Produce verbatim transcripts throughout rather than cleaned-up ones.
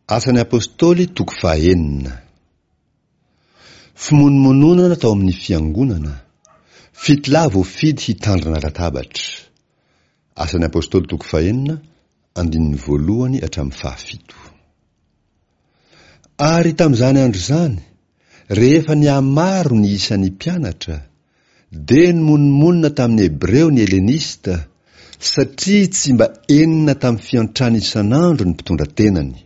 Asan'ny Apostoly toko fahenina. Fimonomononana tao amin'ny fiangonana. Fito lahy voafidy hitandrina latabatra. Asan'ny Apostoly toko fahenina, andininy voalohany hatramin'ny fahafito. Ary tamin'izany andro izany, rehefa nihamaro ny isan'ny mpianatra, dia nimonomonona tamin'ny Hebreo ny Helenista, satria tsy mba enina tamin'ny fiantrany isan'andro ny mpitondra tenany.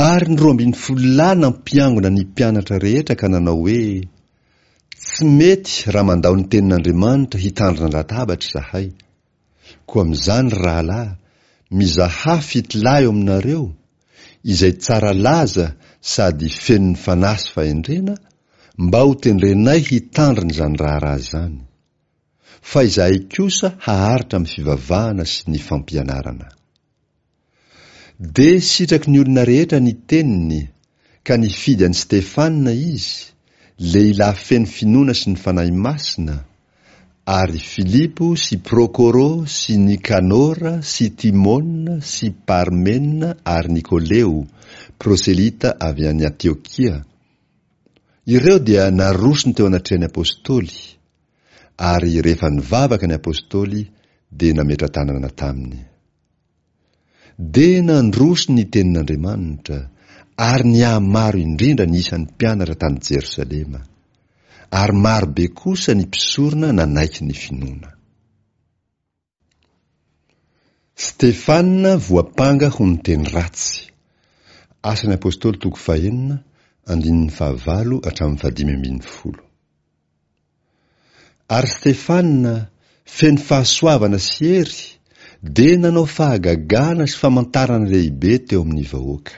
Ary ny roa ambin'ny folo lahy nampiangona ny mpianatra rehetra ka nanao hoe, Tsy mety raha mandao ny tenin'Andriamanitra hitandrina latabatra izahay. Koa amin'izany, ry rahalahy, mizahà fito lahy eo aminareo, izay tsara laza sady feno ny fanahy sy fahendrena, mba ho tendrenay hitandrina izany raharaha izany. Fa izahay kosa haharitra amin'ny fivavahana sy ny fampianarana. Dia sitraky ny olona rehetra ny teniny, ka nifidy an'i Stefana izy, lehilahy feno finoana sy ny Fanahy Masina, ary Filipo sy Prokoro sy Nikanora sy Timona sy Parmena ary Nikoleo, proselita avy any Antiokia. Ireo dia narosony teo anatrehan'ny apostoly, ary rehefa nivavaka ny apostoly dia nametra-tanana taminy. Dia nandroso ny tenin'Andriamanitra, ary nihamaro indrindra ny isan'ny mpianatra tany Jerosalema. Ary maro be kosa ny mpisorona nanaiky ny finoana. Stefana voampanga ho niteny ratsy. Asan'ny Apostoly toko fahenina, andininy fahavalo hatramin'ny fahadimy ambin'ny folo. Ary Stefana, feno fahasoavana sy hery, dia nanao fahagagana sy famantarana lehibe teo amin'ny vahoaka.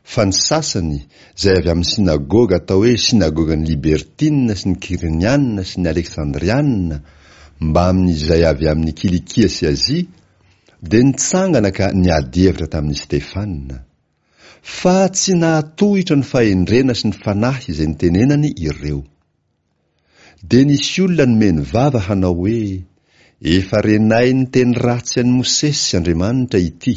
Fa ny sasany, izay avy amin'ny synagoga atao hoe synagogan'ny Libertina sy ny Kyreniana sy ny Aleksandriana, mbamin'izay avy amin'ny Kilikia sy Azia, dia nitsangana ka niady hevitra tamin'i Stefana. Fa tsy nahatohitra ny fahendrena sy ny fanahy izay nitenenany ireo. Dia nisy olona nomeny vava hanao hoe, Efa renay niteny ratsy an'i Mosesy Andriamanitra ity.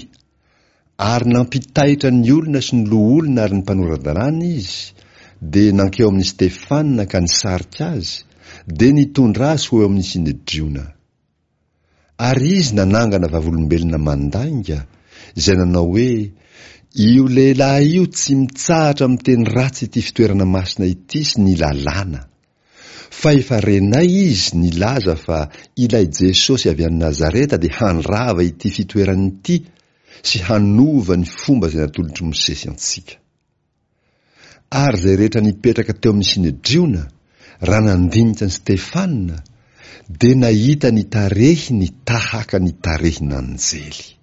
Ary nampitaitra ny olona sy ny loholona ary ny mpanora-dalàna izy, dia nankeo amin'i Stefana ka nisarika azy, dia nitondra azy ho eo amin'ny Synedriona. Ary izy nanangana vavolombelona mandainga, izay nanao hoe, Io lehilahy io tsy mitsahatra miteny ratsy ity fitoerana masina ity sy ny lalàna. Fa efa renay izy nilaza fa ilay Jesosy avy any Nazareta dia handrava ity fitoerana ity sy hanova ny fomba izay natolotr'i Mosesy antsika. Ary izay rehetra nipetraka teo amin'ny Synedriona, raha nandinika an'i Stefana, dia nahita ny tarehiny tahaka ny tarehin'anjely.